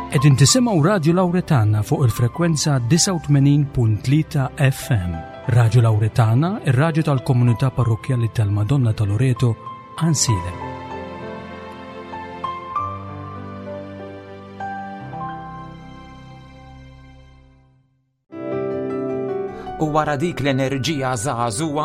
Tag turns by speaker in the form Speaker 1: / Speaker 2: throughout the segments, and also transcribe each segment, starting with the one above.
Speaker 1: Qegħdin tisimgħu Radju Lawretana fuq il-frekwenza 89.3 FM. Radju Lawretana, ir-radju tal-komunità parrokkjali tal-Madonna ta' Loreto, Ansilem.
Speaker 2: U wara dik l-enerġija żagħżugħa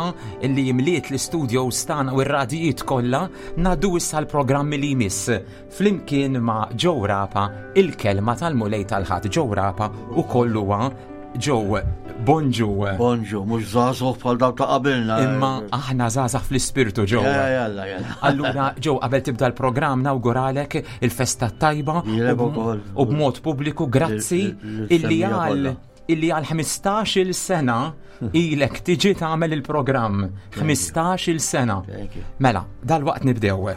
Speaker 2: li jimliet l-istudios tagħna u r-radijiet kollha, ngħaddu issa l-programmi li jmiss flimkien ma' Joe Rapa, il-kelma tal-Mulej tal-Ħadd. Joe Rapa u kollu huwa Joe, bonġu.
Speaker 3: Bonġu, mhux żagħżugħ bħal dawk ta' qabilna.
Speaker 2: Imma aħna żgħażagħ fl-ispirtu Joe.
Speaker 3: Jalla, jalla.
Speaker 2: Allura Joe, qabel tibda l-programm nawguralek il-festa tajba u b'mod pubbliku grazzi illi għal illi għal 15-il sena ilek tiġi tagħmel il-programm. 15-il sena. Mela, dal-waqt nibdew.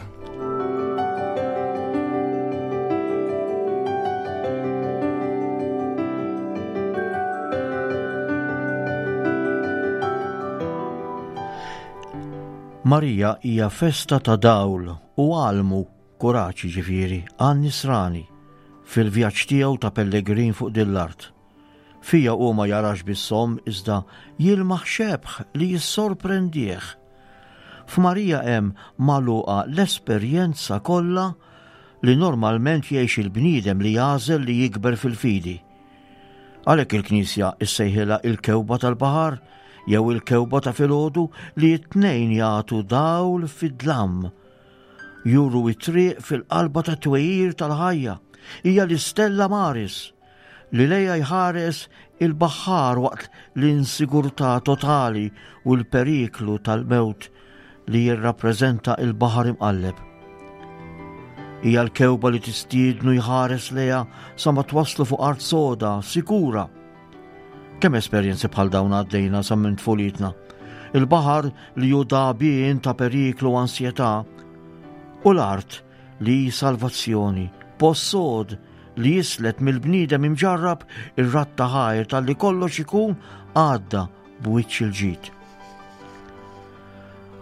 Speaker 3: Marija hija festa ta' dawl u għalmu kuraġġ jiġifieri għan-nisrani fil-vjaġġ tiegħu ta' pellegrin fuq din l-art. Fija hu ma jarax biss omm iżda jilmaħ xebh li jissorprendih. F'Marija hemm magħluqa l-esperjenza kollha li normalment jgħix il-bniedem li jagħżel li jikber fil-fidi. Għalhekk il-Knisja issejħilha il-kewba tal-baħar jew il-kewba ta' filgħodu li t-tnejn jagħtu dawl fid-dlam Juru it-triq fil-qalba tat-twejjir tal-ħajja. Hija l-istella Maris li lejha jħares il-baħħar waqt l-insigurtà totali u l-periklu tal-mewt li jirrappreżenta il-baħar imqalleb. Hija l-kewba li tistiednu jħares lejha sa ma twasslu fuq art soda, sikura. Kemm esperjenzi bħal dawn għaddejna sa minn tfulitna. Il-baħar li hu dagħbien ta' periklu u ansjetà u l-art li hi salvazzjoni, post sod li jislet mill-bniedem imġarrab ir-radd ta' ħajr talli kollox ikun għadda b'wiċċ il-ġid.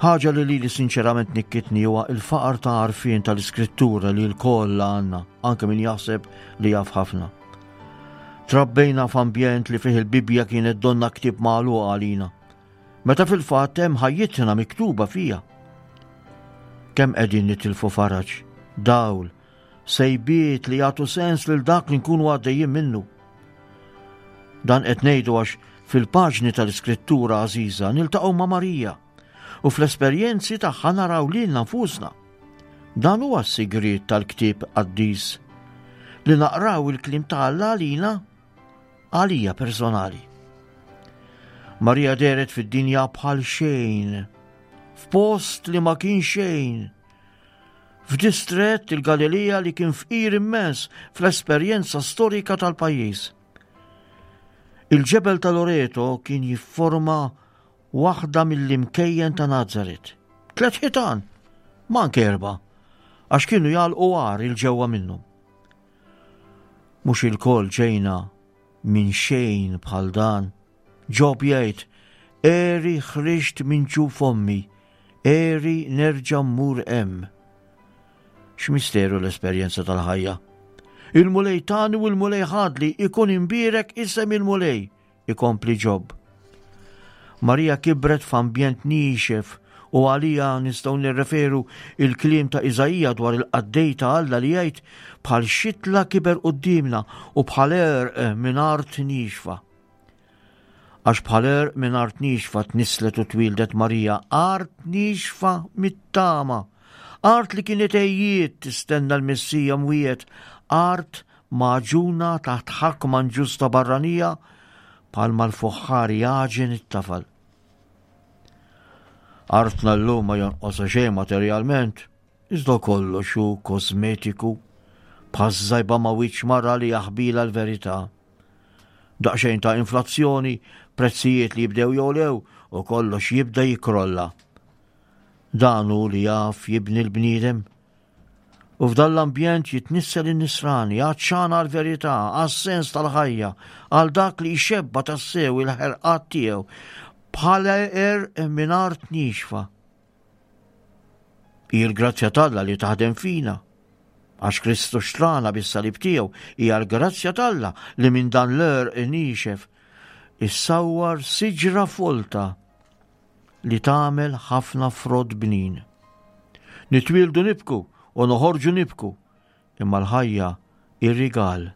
Speaker 3: Ħaġa li lili sinċerament nikkitni huwa il-faqar ta' għarfien tal-iskrittura li l-koll għandna, anke min jaħseb li jaf ħafna. Trabbejna f'ambjent li fih il-Bibbja kienet donna ktieb magħluq għalina. Meta fil-fatt hemm ħajjitna miktuba fija. Kemm qegħdin nitilfu faraġ, dawl, sejbiet li jagħtu sens lil dak li nkunu għaddejjin minnu. Dan qed ngħidu għax fil-paġni tal-Iskrittura għażiża niltaqgħu ma' Marija u fl-esperjenzi tagħha naraw lilna nfusna. Dan huwa s-sigriet tal-ktieb qaddis li naqraw il-kliem ta' Alla għalina għalija personali. Marija dehret fid-dinja bħal xejn, f'post li ma kien xejn, f'distrett il-Galilija li kien fqir immens fl-esperjenza storika tal-pajjiż. Il-ġebel ta' Loreto kien jifforma waħda mill-imkejjen ta' Nazaret. Tlet ħitan, ma anke erba, għax kienu jagħlqu għar il-ġewwa minnhom. Mhux ilkoll ġejna minn xejn bħal dan. Ġob jgħid, Għeri ħriġt minn ġuf ommi, għeri nerġa' mmur hemm. X'misteru l-esperjenza tal-ħajja. Il-Mulej tani u l-Mulej ħadli ikun imbierek isem il-Mulej. ikompli Ġob. Marija kibret f'ambjent niexef u għaliha nistgħu nirreferu il-kliem ta' Iżaija dwar il-qaddej ta' Alla li jgħid bħal xitla kiber quddiemna u bħal għerq minn art niexfa. Għax bħal għerq minn art niexfa tnisslet u twieldet Marija, art niexfa mit-tama, art li kienet għejjiet tistenna l-Messija mwiegħed, art Magħġuna taħt ħakma inġusta barranija bħalma l-fuħħar jagħġen it-tafal. Artna llum ma jonqosha xejn materjalment, iżda kollox hu kosmetiku, bħaż-żajba ma' wiċċ mara li jaħbilha l-verità. Daqsxejn ta' inflazzjoni, prezzijiet li jibdew jogħlew u kollox jibda jikkrolla. Dan hu li jaf jibni l-bniedem. U f'dan l-ambjent jitnissel in-nisrani, għatxan għall-verità, għas-sens tal-ħajja, għal dak li jxebba' tassew il-ħerqat tiegħu bħal għerq minn art niexfa. Hi l-grazzja t'Alla li taħdem fina. Għax Kristu xtrana bis-salib tiegħu hija l-grazzja t'Alla li minn dan l-għerq niexef issawwar siġra folta li tagħmel ħafna frott bnin. Nitwieldu nibku u noħorġu nibku, imma l-ħajja hi rigal.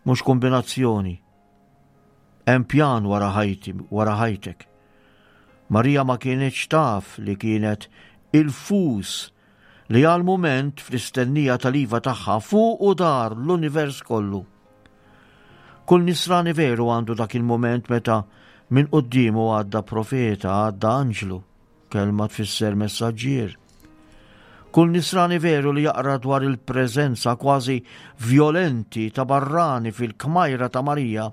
Speaker 3: Mhux kombinazzjoni. Hemm pjan wara ħajti, wara ħajtek. Marija ma kienetx taf li kienet il-fus li għal mument fl-istennija tal-iva tagħha fuq u dar l-univers kollu. Kull nisrani veru għandu dak il-mument meta minn quddiemu għadda profeta, għadda anġlu, kelma tfisser messaġġier. Kull nisrani veru li jaqra dwar il-preżenza kważi vjolenti ta' barrani fil-kmajra ta' Marija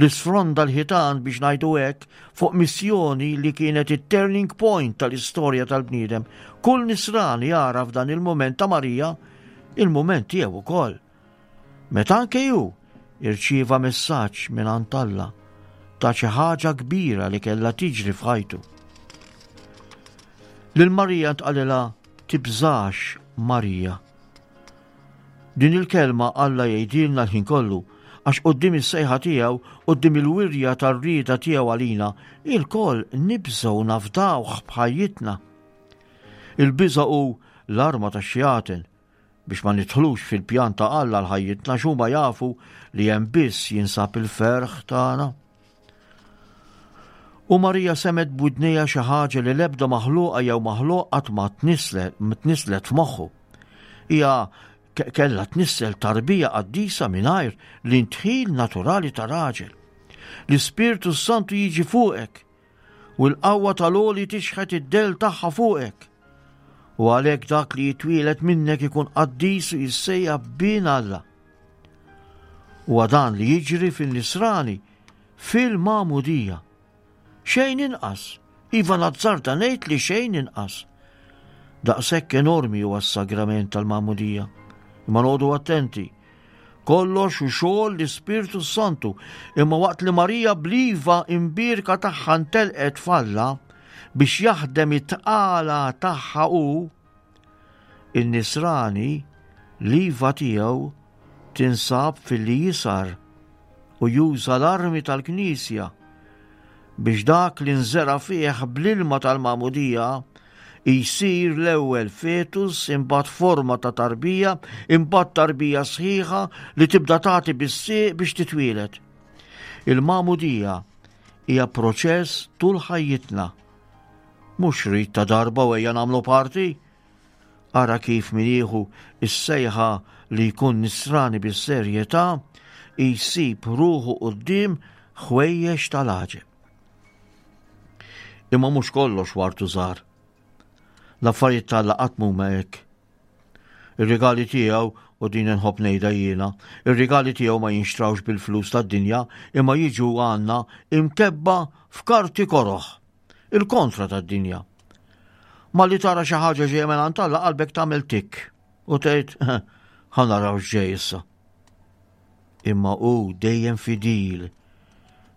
Speaker 3: li sfronda l-ħitan biex ngħidu hekk fuq missjoni li kienet it-turning point tal-istorja tal-bniedem. Kull nisrani jara f'dan il-mument ta' Marija il-mument tiegħu ukoll. Meta anke hu irċieva messaġġ mingħand Alla ta' xi ħaġa kbira li kellha tiġri f'ħajtu. Lil Marija ntqalilha tibżax Marija. Din il-kelma Alla jgħidilna l-ħin kollu għax quddiem is-sejħa tiegħu, quddiem il-wirja tar-rieda tiegħu għalina, ilkoll nibżgħu nafdawh b'ħajjitna. Il-biża' hu l-arma tax-xjaten biex ma nidħlux fil-pjan ta' Alla għal ħajjitna għax huma jafu li hemm biss jinsab il-ferħ tagħna. U Marija semet b'widnejha xi ħaġa li l-ebda maħluqa jew maħluq qatt ma tnislet f'moħħu. Hija kellha tnissel tarbija qaddisa mingħajr l-intħil naturali ta' raġel. L-Ispirtu Santu jiġi fuqek U l-qawwa tal-għoli tixħet id-dell tagħha fuqek. U għalhekk dak li jitwielet minnek ikun qaddis u jissejjaħ bin Alla. Huwa dan li jiġri fin-nisrani fil-magħmudija. Xejn inqas, iva nazzarda ngħid li xejn inqas. Daqshekk enormi huwa s-sagrament tal-magħmudija. Imma noqogħdu attenti Kollox hu xogħol l-Ispirtu s-Santu, imma waqt li Marija bl-iva imbierka tagħha ntelqet f'Alla biex jaħdem it-tqala tagħha hu, in-nisrani l-iva tiegħu tinsab filli jisar u juża l-armi tal-Knisja biex dak li nżera' fih bl-ilma tal-magħmudija jsir l-ewwel fetus, imbagħad forma ta' tarbija, imbagħad tarbija sħiħa li tibda tagħti bis-sieq biex titwieled. Il-magħmudija hija proċess tul ħajjitna. Mhux rid ta' darba u ejja nagħmlu parti. Ara kif min jieħu s-sejħa li jkun nisrani bis-serjetà jsib ruħu quddiem ħwejjeġ tal-għaġeb. Imma mhux kollox wartu żgħar. L-affarijiet t'Alla qatt m'huma hekk. Ir-rigali tiegħu u din inħobb ngħidha jiena, ir-rigali tiegħu ma jinxtrawx bil-flus tad-dinja imma jiġu għandna imkebba f'karti koroh. Il-kontra tad-dinja. Malli tara xi ħaġa ġejja minn għand Alla qalbek tagħmel tikk u tgħid ħa naraw x'ġej issa. Imma hu dejjem fidil,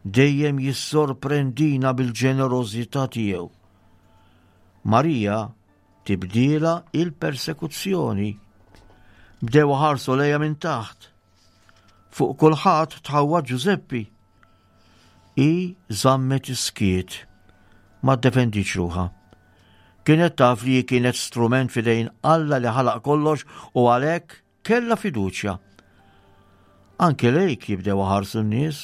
Speaker 3: dejjem jissorprendina bil-ġenerożità tiegħu. Marija tibdiela il-persekuzzjoni. Bdew ħarsu lejha minn taħt. Fuq kulħadd tħawwa Ġużeppi. Hi żammet is-skiet. Ma ddefendietx ruħha. Kienet taf li hi kienet strument f'idejn Alla li ħalaq kollox u għalhekk kellha fiduċja. Anke lejk jibdew iħarsu n-nies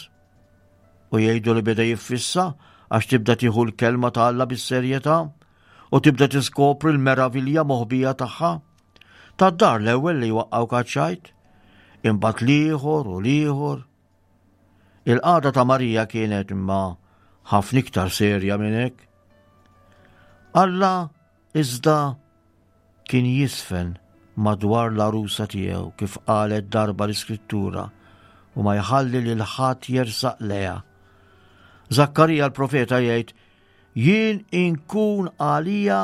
Speaker 3: u jgħidu li beda jiffissa għax tibda tieħu l-kelma ta' Alla bis-serjetà u tibda tiskopri l-meravilja moħbija tagħha. Tad-dar l-ewwel li jwaqqgħuk għaċ-ċajt, imbagħad l-ieħor u l-ieħor. Il-qagħda ta' Marija kienet imma ħafna iktar serja minn hekk. Alla iżda kien jisfen madwar l-għarusa tiegħu kif qalet darba l-Iskrittura u ma jħalli lil ħadd jersaq lejha. Zakkarija l-profeta jgħid, jien inkun għalija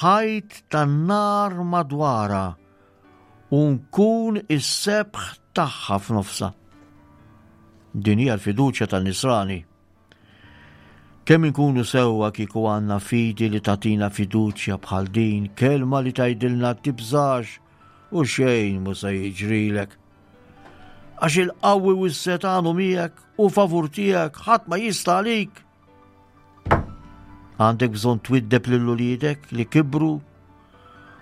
Speaker 3: ħajt tan-nar madwarha u nkun is-sebħ tagħha f'nofsha. Din hija l-fiduċja tan-nisrani. Kemm inkunu sewwa kieku għandna fidi li tagħtina fiduċja bħal din, kelma li tgħidilna tibżax u xejn mhu se jiġrilek. Għax il-qawwi u s-setgħan hu miegħek u favur tiegħek ħadd ma jista' għalik. Għandek bżonn twiddeb lil uliedek li kibru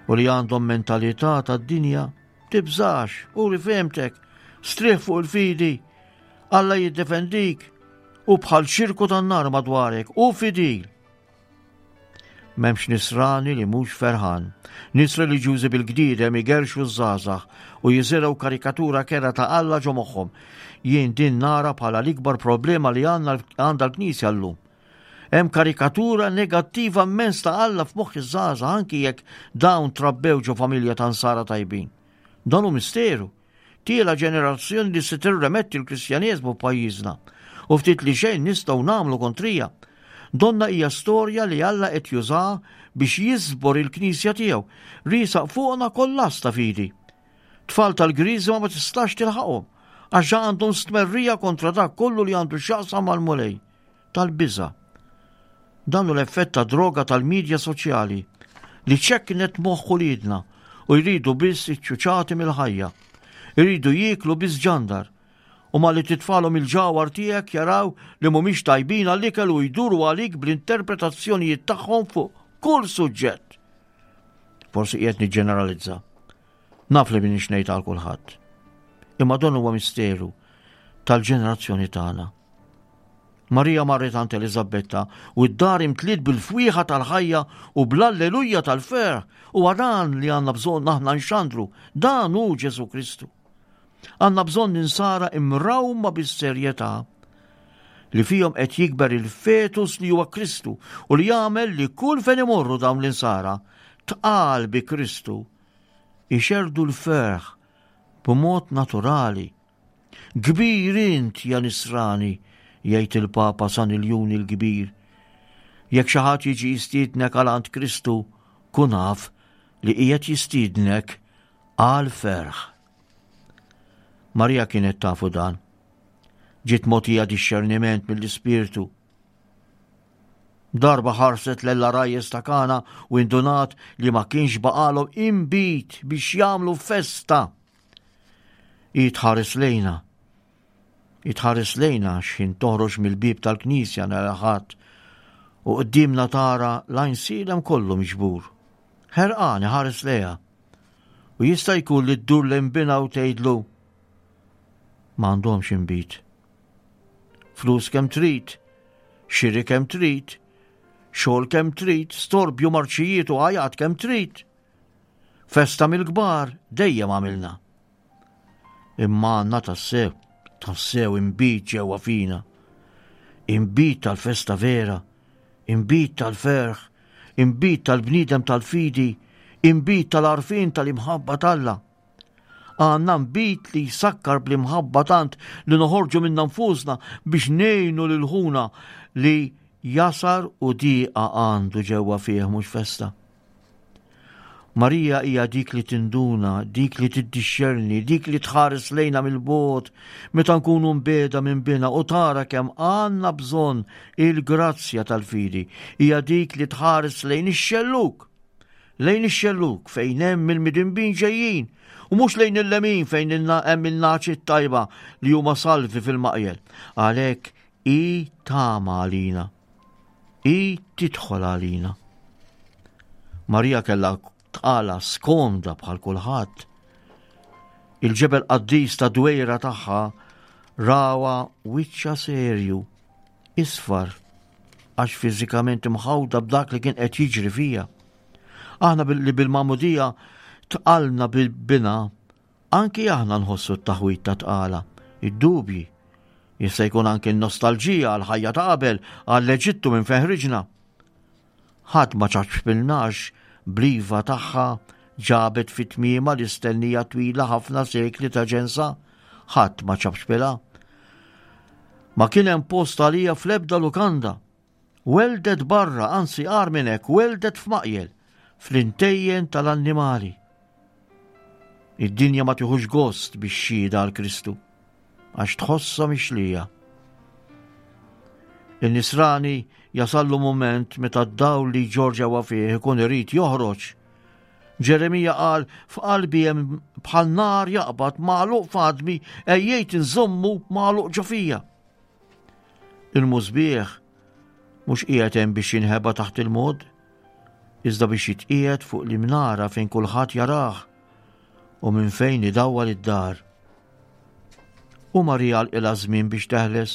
Speaker 3: u li għandhom mentalità tad-dinja. Tibżax, uri fehmtek, strieħ fuq il-fidi, Alla jiddefendik u bħal xirku tan-nar madwarek u fidil. M'hemmx nisrani li mhux ferħan. Nies reliġjużi bil-gdiedem igerrxu ż-żgħażagħ u jiżirgħu karikatura kerha ta' Alla ġo moħħhom. Jien din nara bħala l-ikbar problema li għandna għandha l-Knisja llum. Hemm karikatura negattiva immens ta' Alla f'moħħ iż-żgħażagħ anki jekk dawn trabbew ġo familja ta' nsara tajbin. Dan hu misteru. Tiela' ġenerazzjoni li se tirremetti l-Kristjaneżmu f'pajjiżna u ftit li xejn nistgħu nagħmlu kontrija. Donnha hija storja li Alla qed jużaha biex jiżbor il-Knisja tiegħu, riesaq fuqna kollass ta' fidi. Tfal tal-Griżma ma tistax tilħaqhom għax ġa għandhom stmerrija kontra dak kollu li għandu x'jaqsam mal-Mulej. Tal-biża'. Dan hu l-effett ta' droga tal-midja soċjali li ċekknet moħħ uliedna u jridu biss iċ-ċuċati mill-ħajja. Iridu jieklu biss ġandar. U malli titfalhom il-ġawhar tiegħek jaraw li mhumiex tajbin għall-ikel u jduru għalik bl-interpretazzjonijiet tagħhom fuq kull suġġett. Forsi qiegħed niġġeneralizza. Naf li minix ngħid għal kulħadd. Imma dan huwa misteru tal-ġenerazzjoni tagħna. Marija marret għand Eliżabetta u d-dar imtliet bil-fwieħa tal-ħajja u bl-alleluja tal-ferħ. Huwa dan li għandna bżonn aħna nxandru. Dan hu Ġesù Kristu. Għandna bżonn insara imrawma bis-serjetà li fihom qed jikber il-fetus li huwa Kristu u li jagħmel li kull fejn imorru dawn l-insara tqal bi Kristu ixerdu l-ferħ b'mod naturali Kbir int, ja Nisrani, jgħid il-Papa San Iljun il-Kbir. Jekk xi ħadd jiġi jistiednek għal għand Kristu, kun af li qiegħed jistiednek għal ferħ. Marija kienet tafu dan. Ġiet mogħtija dixxerniment mill-Ispirtu. Darba ħarset lell-għarajjes ta' Kana u indunat li ma kienx baqalhom inbid biex jagħmlu festa. Hi tħares lejna. Hi tħares lejna x'ħin toħroġ mill-bieb tal-knisja nhar il-Ħadd u quddiemna tara l-għajnsielem kollu miġbur. Ħerqan iħares lejha. U jista' jkun li ddur lejn binha u tgħidlu ma għandhomx inbid. Flus kemm trid, xiri kemm trid, xogħol kemm trid, storbju marċijiet u għajat kemm trid. Festa mill-kbar dejjem għamilna. Imma għandna tassew, tassew inbid ġewwa fina. Inbid tal-festa vera, inbid tal-ferħ, inbid tal-bniedem tal-fidi, inbid tal-għarfien tal-imħabba t'Alla. Għandna nbid li jsakkar bl-imħabba tant li noħorġu minna nfusna biex ngħinu lil ħuna li jasar u diqa għandu ġewwa fih mhux festa. Marija hija dik li tinduna, dik li tiddixxerni, dik li tħares lejna mill-bogħod meta nkunu mbiegħda minn binha u tara kemm għandna bżonn il-grazzja tal-fidi. Hija dik li tħares lejn ix-xellug, lejn ix-xellug fejn hemm il-midinbin ġejjin u mhux lejn il-lemin fejn hemm in-nagħaġ it-tajba li huma salvi fil-maqjel. Għalhekk hi tama għalina. Hi tidħol għalina. Marija kellha tqala skomda bħal kulħadd. Il-ġebel qaddis ta' dwejra tagħha rawa wiċċa serju, isfar, għax fiżikament imħawda b'dak li kien qed jiġri fija. Aħna li bil-magħmudija tqalna bil-bina Anki aħna nħossu t-taħwid ta' tqala, id-dubji. Jista' jkun anki n-nostalġija għall-ħajja ta' qabel, għall-Eġittu minn fejn ħriġna. Ħadd ma ċaċpilnax bl-iva tagħha ġabet fi tmiemha l-istennija twila ħafna sekli ta' ġensa. Ħadd ma ċapċpilha. Ma kien hemm post għalija fl-ebda lukanda. Welldet barra, anzi agħar minn hekk, welldet f'maqjel, fl-intejjen tal-annimali. Id-dinja ma tieħux gost bix-xhieda għal Kristu, għax tħossha mixlija. Il-nisrani jasallu mument meta d-dawl li jġorr ġewwa fih ikun irid joħroġ. Ġeremija qal, f'qalbi hemm bħal nar jaqbad magħluq f'għadmi ejjejt inżommu magħluq ġo fija. Il-musbieħ mhux qiegħed hemm biex jinħeba taħt il-mod, iżda biex jitqiegħed fuq l-imnara fejn kulħadd jarah u minn fejn idawwal id-dar. U Marija għalqilha żmien biex teħles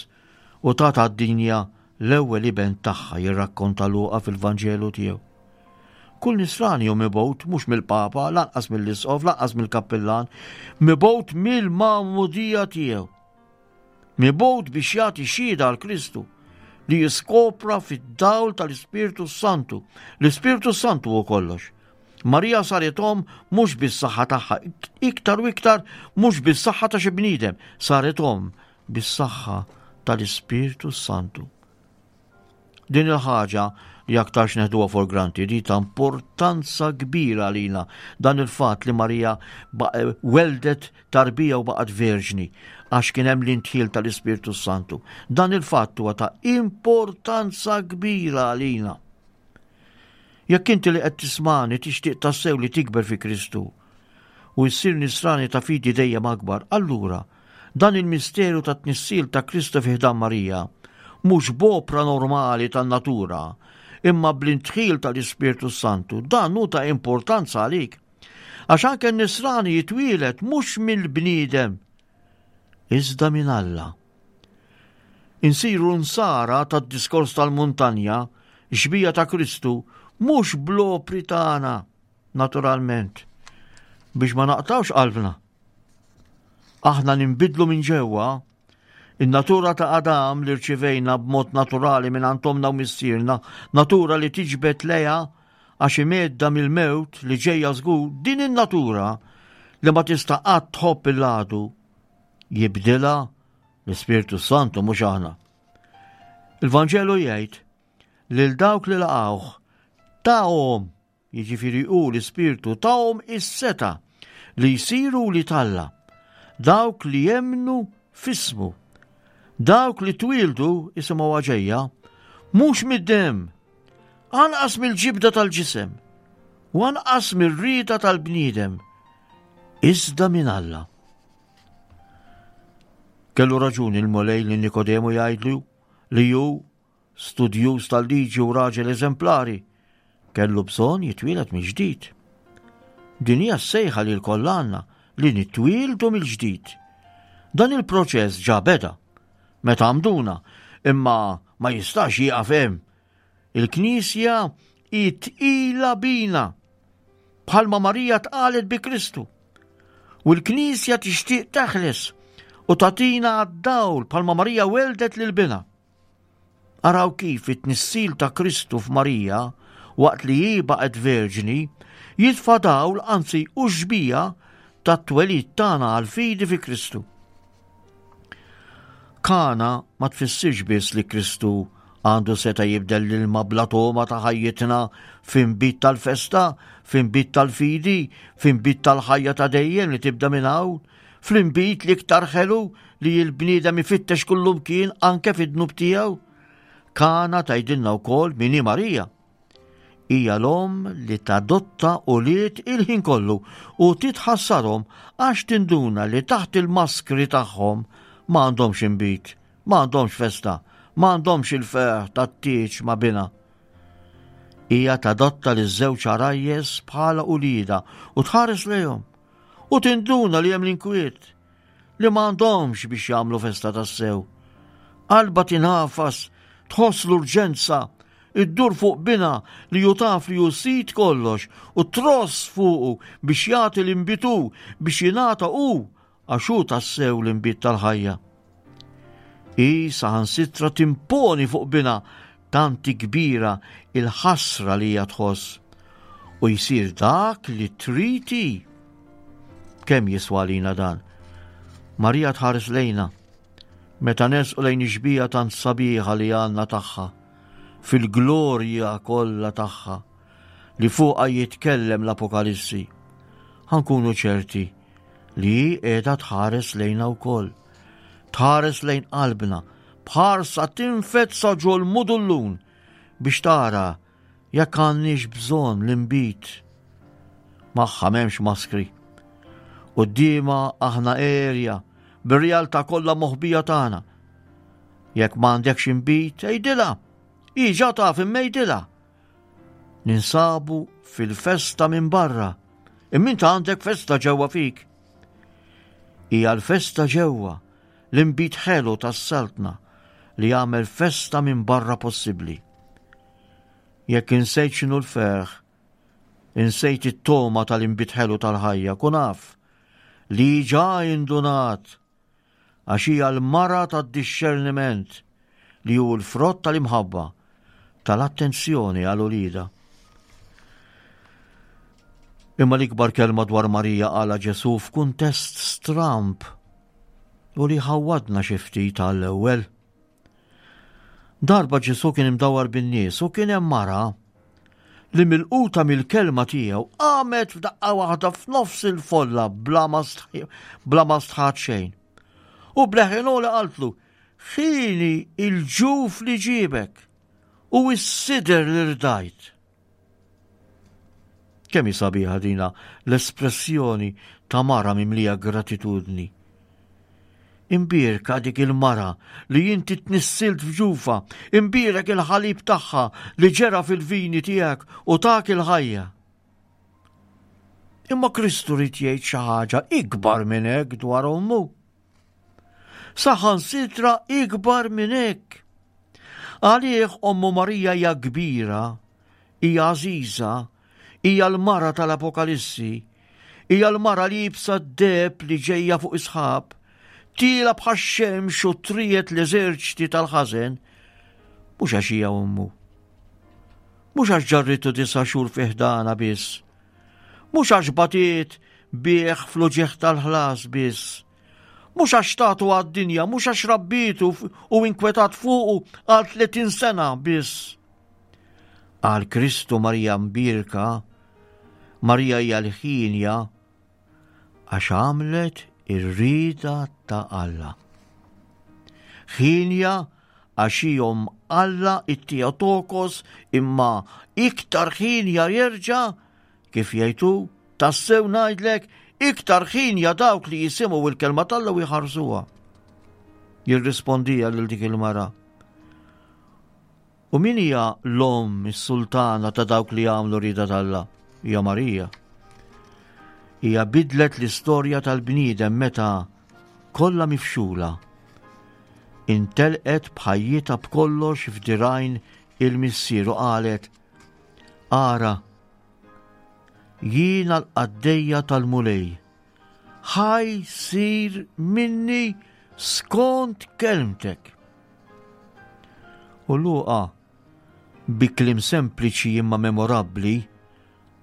Speaker 3: u tat għad-dinja l-ewwel iben tagħha jirrakkonta Luqa fil-Vanġelu tiegħu. Kull nisrani hu mibgħut mhux mill-Papa, lanqas mill-Isqof, lanqas mill-kappillan, mibgħut mill-magħmudija tiegħu. Mibgħut biex jagħti xhieda għal Kristu li jiskopra fid-dawl tal-Ispirtu Santu. L-Ispirtu Santu hu kollox. Marija saret omm mhux bis-saħħa tagħha, iktar u iktar mhux bis-saħħa ta' xi bniedem, saret omm bis-saħħa tal-Ispirtu Santu. Din il-ħaġa li aktarx neħduha for granted hi ta' importanza kbira għalina dan il-fatt li Marija weldet tarbija u baqgħet verġni għax kien hemm l-intħil tal-Ispirtu Santu. Dan il-fatt huwa ta' importanza kbira għalina. Jekk inti li qed tismani tixtieq tassew li tikber fi Kristu u ssir nisrani ta' fidi dejjem akbar, allura Dan il-misteru tat-tnissil ta' Kristu fi ħdan Marija, mhux b'opra normali tan-natura, imma bl-indħil tal-Ispirtu s-Santu, dan hu ta' importanza għalik. Għax anke n-nisrani jitwieled mhux mill-bniedem, iżda minn Alla. Insiru nsara tad-diskors tal-muntanja, xbija ta' Kristu, mhux bl-opri tagħna, naturalment, biex ma naqtawx qalbna. Aħna ninbidlu minn ġewwa, in-natura ta' Adam li rċivejna b'mod naturali minn għand ommna u missierna, natura li tiġbed lejha għax imedda mill-mewt li ġejja żgur, din in-natura li ma tista' qatt tħobb il-għadu, jibdilha l-Ispirtu Santu mhux aħna. Il-Vanġelu jgħid lil dawk li laqgħuh tahom jiġifieri hu l-Ispirtu tahom is-setgħa li jsiru wlied Alla, dawk li jemmnu f'ismu. Dawk li twieldu, isimgħuha ġejja, mhux mid-demm, anqas mill-ġibda tal-ġisem, u anqas mir-rieda tal-bniedem, iżda minn Alla. Kellu raġuni l-Mulej li Nikodemu jgħidlu li hu studjuż tal-liġi u raġel eżemplari, kellu bżonn jitwieled mill-ġdid. Din hija s-sejħa li lkoll għandna li nitwieldu mill-ġdid. Dan il-proċess ġa beda meta għamduna, imma ma jistax jieqaf hemm. Il-Knisja hi tqila bina bħalma Marija tqalet bi Kristu. U l-Knisja tixtieq teħles u tagħtina għad-dawl bħalma Marija weldet lil binha. Araw kif it-tnissil ta' Kristu f'Marija, waqt li hi baqgħet verġni, jitfa' dawl anzi hu xbieha tat-twelid tagħna għall-fidi fi Kristu. Kana ma tfissirx biss li Kristu għandu seta jibdel l-ilma bla togħma ta' ħajjitna f'inbid tal-festa, f'inbid tal-fidi, f'inbid tal-ħajja ta' dejjem li tibda minn hawn, Fl-inbid l-iktar ħelu li l-bniedem ifittex kullumkien anke fid-dnub tiegħu. Kana tgħidilna wkoll min hi Marija. Hija l-omm li tadotta ulied il-ħin kollu u titħassarhom għax tinduna li taħt il-maskri tagħhom ma għandhomx inbid, ma għandhomx festa, ma għandhomx il-ferħ tat-tieġ ma' binha. Hija tadotta liż-żewġ għarajjes bħala uliedha u tħares lejhom U tinduna li hemm l-inkwiet li m'għandhomx biex jagħmlu festa tassew. Qalba tinafas, tħoss l-urġenza, iddur fuq bina li ju taf li hu sid kollox u tross fuqu biex jagħti l-inbitu biex jingħata hu għax hu tassew l-inbid tal-ħajja. Hi saħansitra timponi fuq binha tant hi kbira il-ħasra li hija tħoss u jsir dak li trid hi. Kemm jiswa għalina dan? Marija tħares lejna meta nersqu lejn ix-xbieha tant sabiħa li għandna tagħha fil-glorja kollha tagħha li fuqha jitkellem l-Apokalissi. Ħa nkunu ċerti li hi qiegħda tħares lejna wkoll. Tħares lejn qalbna b'ħarsa tinfed sa ġol-mudullun biex tara jekk għandniex bżonn l-inbid. Magħha m'hemmx maskri. Quddiemha aħna għerja, bir-realtà kollha moħbija tagħna. Jekk m'għandekx inbid, għidilha. Hi ġa taf imma għidilha. Ninsabu fil-festa minn barra, imma int għandek festa ġewwa fik. Hija l-festa ġewwa, l-inbid ħelu tas-saltna li jagħmel festa minn barra possibbli. Jekk insejt x'inhu l-ferħ, insejt it-togħma tal-inbid ħelu tal-ħajja, kun af li ġa indunat għax hija l-mara tad-dixxerniment li hu l-frott tal-imħabba, tal-attenzjoni għal uliedha. Imma l-ikbar kelma dwar Marija qalha Ġesù f'kuntest stramb u li ħawwadna xi ftit għall-ewwel. Darba Ġesù kien imdawwar bin-nies u kien hemm mara li milquta mill-kelma tiegħu qamet f'daqqa waħda f'nofs il-folla bla ma stħat xejn. U bleħen li qaltlu, ħini il-ġuf li ġibek u s-sider li rdajt. Kemm hi sabiħa dina l-espressjoni ta' mara mimlija gratitudni. Imbierka dik il-mara li inti tnissilt f'ġufa, imbierek il-ħalib tagħha li ġera fil-vini tiegħek u tak il-ħajja. Imma Kristu rid jgħid xi ħaġa ikbar minn hekk dwar ommu. Saħansitra ikbar minn hekk. Għalih ommu Marija hija kbira, hija għażiża, hija l-mara tal-Apokalissi, hija l-mara li jibsa d-deb li ġejja fuq isħab, tiela bħax-xemx u trijet l-eżerċti tal-ħażen, mhux għax hija ommu. Mhux għax ġarritu disa' xhur fi ħdana biss. Mhux għax batiet bih fl-uġigħ tal-ħlas biss. Mhux għax tatu għad-dinja, mhux għax rabbitu u inkwetat fuqu għal 30 sena biss. Għal Kristu Marija mbirka, Marija hija l-ħinja għax għamlet ir-rieda ta' Alla. Ħinja għax hi omm Alla it-Theotokos imma iktar ħinja jerġa' Kif jgħid hu, tassew ngħidlek, iktar ħinja dawk li jisimgħu il-kelma t'Alla u jħarsuha. Jirrispondija lil dik il-mara. U min hija l-omm is-sultana ta' dawk li jagħmlu rieda t'Alla? Hija Marija. Hija bidlet l-istorja tal-bniedem meta kollha mifxula intelqet b'ħajjitha b'kollox f'dirajn il-missier u qalet Ara, jiena l-qaddejja tal-Mulej, ħa jsir minni skont kelmtek. U Luqa, bi kliem sempliċi imma memorabbli,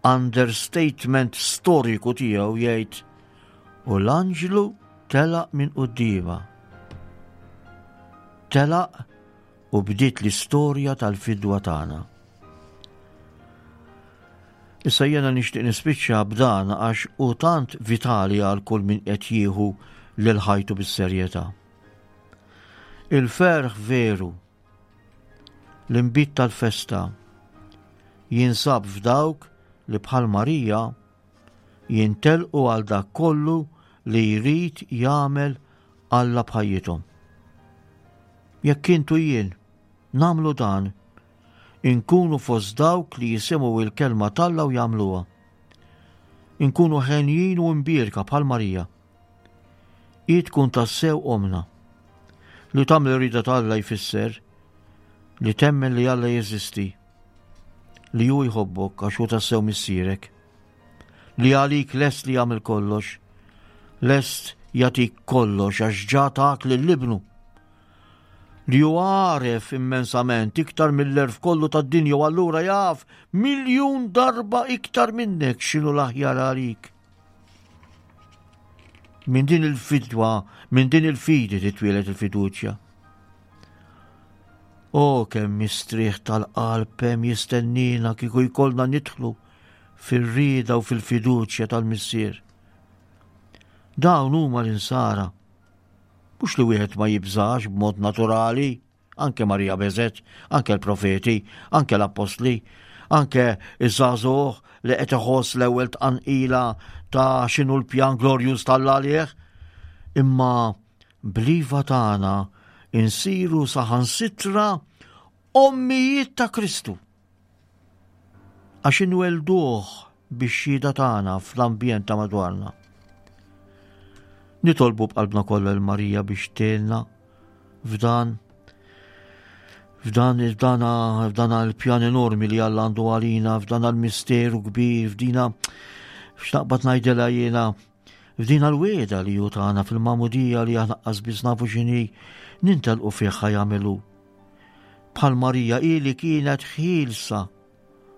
Speaker 3: understatement storiku tiegħu jgħid, u l-anġlu telaq minn quddiemha. Telaq u bdiet l-istorja tal-fidwa tagħna. Issa jiena nixtieq nispiċċa b'dan għax hu tant vitali għal kull min qed jieħu lil ħajtu bis-serjetà. Il-ferħ veru, l-inbid tal-festa, jinsab f'dawk li bħal Marija jintelqu għal dak kollu li jrid jagħmel Alla b'ħajjithom. Jekk int u jien nagħmlu dan, inkunu fost dawk li jisimgħu il-kelma t'Alla u jagħmluha. Inkunu ħenjin u imbierka bħal Marija. Hi tkun tassew omna. Li tagħmel ir-rieda t'Alla jfisser li temmen li Alla jeżisti, li hu jħobbok għax hu tassew missierek. li għalik lest li jagħmel kollox, lest jagħtik kollox għax ġa tak lil ibnu. Li hu għaref immensament iktar mill-erf kollu tad-dinja u allura jaf miljun darba iktar minnek x'inhu l-aħjar għalik. Minn din il-fidwa, minn din il-fidi titwielet il-fiduċja. O kemm mistrieħ tal-qalb hemm jistennina kieku jkollna nidħlu fir-rieda u fil-fiduċja tal-Missier. Dawn huma l-insara. Mhux li wieħed ma jibżax b'mod naturali, anke Marija beżet, anke l-profeti, anke l-appostli. anke iż-żagħżugħ li qed iħoss l-ewwel tqanqila ta' x'inhu l-pjan glorjuż t'Alla għalih. Imma bl-iva tagħna insiru saħansitra ommijiet ta' Kristu. Għax inwelduh bix-xhieda tagħna fl-ambjent ta' madwarna. Nitolbu b'qalbna kollha l Marija biex tgħinna f'dan f'dan f'dan f'dan il-pjan enormi li Alla għandu għalina, f'dan il-misteru kbir, f'dina x'naqbad ngħidilha jiena f'dina l-wieda li hu tagħna fil-magħmudija li aħna qas biss nafu x'inhi nintelqu fih jagħmelu. Bħal Marija hi li kienet ħielsa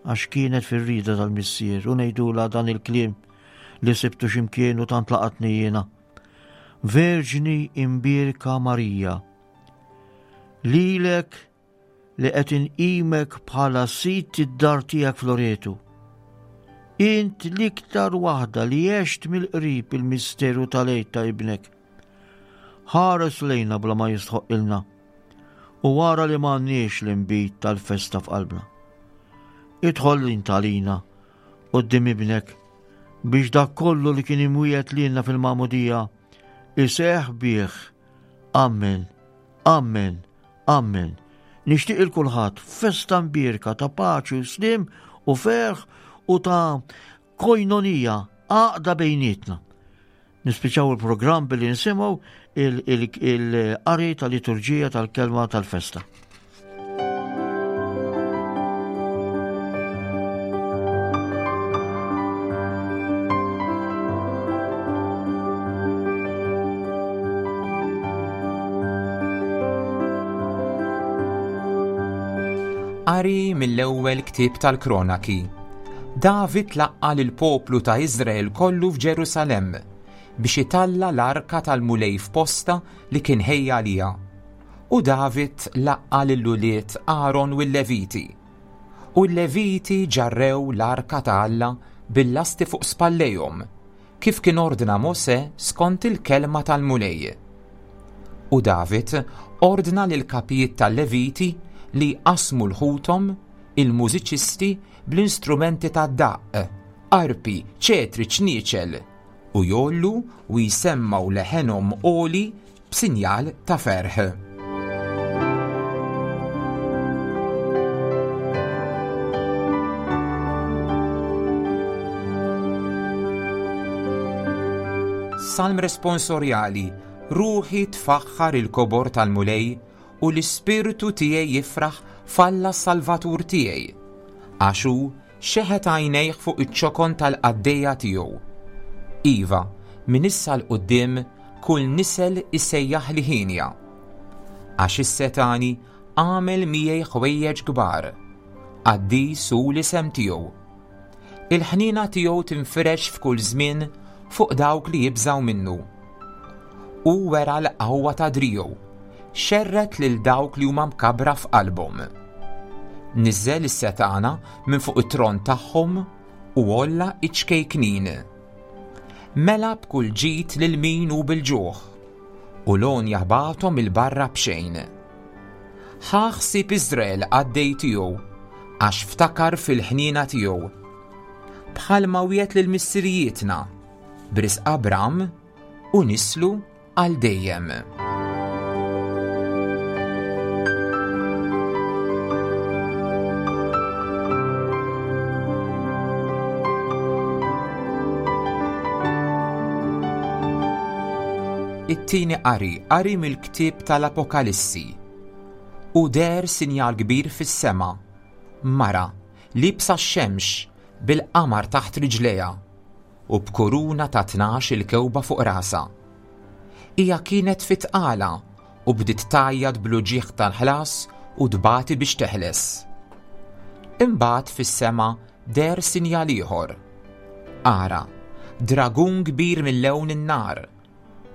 Speaker 3: għax kienet fir-rieda tal-Missier u ngħidulha dan il-kliem li sibtu x'imkien u tant laqatni jiena. Verġni imbierka Marija, lilek li qed inqimek bħala sid id-dar tiegħek f'Loretu. Int l-iktar waħda li għext mill-qrib il-misteru tal-għid ta' ibnek. Ħares lejna bla ma jistħoqqilna u wara li m'għandniex l-inbid tal-festa f'qalbna. Idħol int għalina quddiem ibnek biex dak kollu li kien imwiegħed lilna fil-magħmudija iseħħ bih. Amen. Amen. Amen. Nixtieq il kulħadd festa mbierka ta' paċi u slim u ferħ u ta' koinonija għaqda bejnietna. Nispiċaw il-programm billi nisimgħu il-qari tal-liturġija tal-kelma tal-festa.
Speaker 2: Qari mill-ewwel ktieb tal-Kronaki. David laqqa' lill-poplu ta' Iżrael kollu f'Ġerusalemm biex italla' l-arka tal-Mulej f'postha li kien ħejja għaliha. U David laqqa' lil ulied Aron u l-Leviti. U l-Leviti ġarrew l-arka ta' Alla bil-lasti fuq spallejhom, kif kien ordna Mosè skont il-kelma tal-Mulej. U David ordna lill-kapijiet tal-Leviti li jqassmu 'l ħuthom, il-mużiċisti, bl-instrumenti tad-daqq, arpi, ċetri, ċnieċel, u jgħollu u jsemmgħu leħenhom għoli b'sinjal ta' ferħ. Salm responsorjali, Ruħi tfaħħar il-kobor tal-Mulej u l-ispirtu tiegħi jifraħ f'Alla s-Salvatur tiegħi, għax hu xeħet għajnejh fuq iċ-ċokon tal-qaddejja tiegħu. Iva, minn issa 'l quddiem kull nisel isejjaħli hienja. Għax is-Setgħani għamel miegħi ħwejjeġ kbar. Qaddis hu l-isem tiegħu. Il-ħniena tiegħu tinfirex f'kull żmien fuq dawk li jibżgħu minnu. Hu wera l-qawwa ta' driegħu, xerred lil dawk li huma mkabbra f'qalbhom. Niżżel is-setgħana minn fuq it-tron tagħhom u għolla iċ-ċkejknin. Mela b'kull ġid lil min hu bil-ġuħ, u l-għonja bagħathom 'il barra b'xejn. Ħa ħsieb Iżrael qaddej tiegħu, għax ftakar fil-ħniena tiegħu. Bħalma wiegħed lil missirijietna, b'risq Abram u nislu għal dejjem. It-tieni qari, qari mill-ktieb tal-Apokalissi. U deher sinjal kbir fis-sema, mara, liebsa x-xemx, bil-qamar taħt riġlejha, u b'kuruna ta' 12 il-kewba fuq rasha. Hija kienet fi tqala u bdiet tgħajjat bl-uġigħ tal-ħlas u tbati biex teħles. Imbagħad fis-sema deher sinjal ieħor. Ara, dragun kbir mil-lewn in-nar,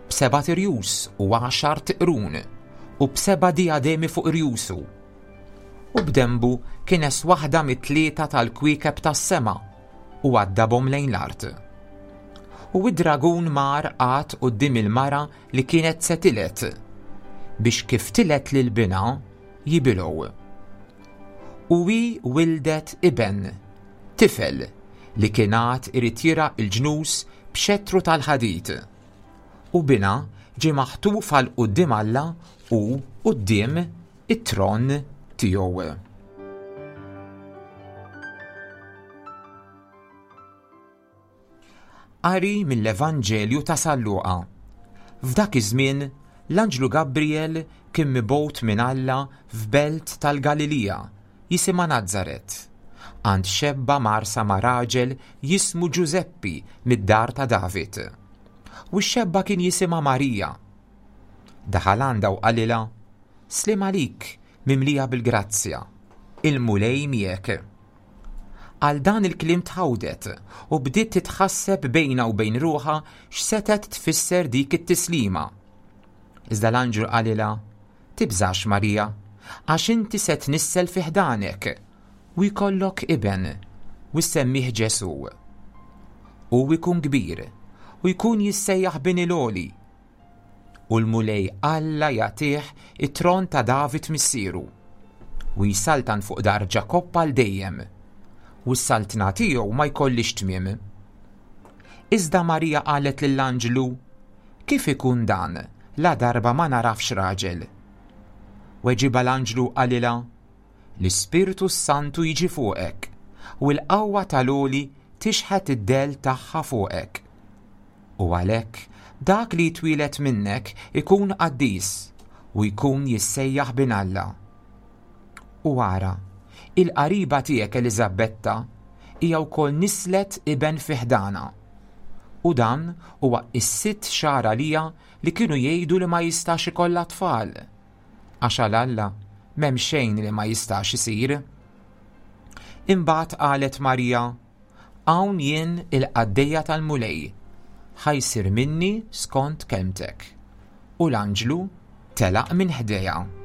Speaker 2: b'sebat irjus u għaxart qrun, u b'seba' dijademi fuq irjusu. U b'denbu kines waħda mit-tlieta tal-kwiekeb tas-sema u għaddabhom lejn l-art. U id-dragun mar qagħad quddiem il-mara li kienet se tiled, biex kif tiled lil binha jibilgħu. U hi wildet iben, tifel, li kien għad irid jirgħa l-ġnus b'xettru tal-ħadid. U binha ġie maħtuf għal quddiem Alla u quddiem it-tron tiegħu. Qari mill-Evanġelju ta' San Luqa. F'dak iż-żmien, l-anġlu Gabriel kien mibgħut minn Alla f'belt tal-Galilija, jisimha Nazaret, għand xebba mgħarrsa ma' raġel jismu Ġużeppi mid-dar ta' David. U x-xebba kien jisimha Marija. Daħal għandha u qalilha, Sliem għalik, mimlija bil-grazzja, il-Mulej miegħek. Għal dan il-kliem tħawdet u bdiet titħasseb bejnha u bejn ruħha x'setgħet tfisser dik it-tislima. Iżda l-anġlu qalilha, Tibżax, Marija, għax inti se tnissel fi ħdanek u jkollok iben u ssemmih Ġesù. Hu jkun kbir u jkun jissejjaħ Bin il-Għoli U l-Mulej Alla jagħtih it-tron ta' David missieru, u jsaltan fuq dar Ġakobb għal dejjem, u s-saltna tiegħu ma jkollhiex tmiem. Iżda Marija qalet lill-anġlu, Kif ikun dan, ladarba ma nagħrafx raġel? Weġibha l-anġlu u qalilha, L-Ispirtu s-Santu jiġi fuqek, u l-qawwa tal-Għoli tixħet id-dell tagħha fuqek. U għalhekk, dak li jitwieled minnek ikun qaddis u jkun jissejjaħ Bin Alla. U ara, il-qariba tiegħek Eliżabetta hija wkoll nisslet iben fi ħdanha. U dan huwa s-sitt xahar għaliha li kienu jgħidu li ma jistax ikollha tfal. Għax għal Alla m'hemm xejn li ma jistax isir. Imbagħad qalet Marija, Hawn jien il-qaddejja tal-Mulej, ħa jsir minni skont kelmtek. U l-anġlu telaq minn ħdejha.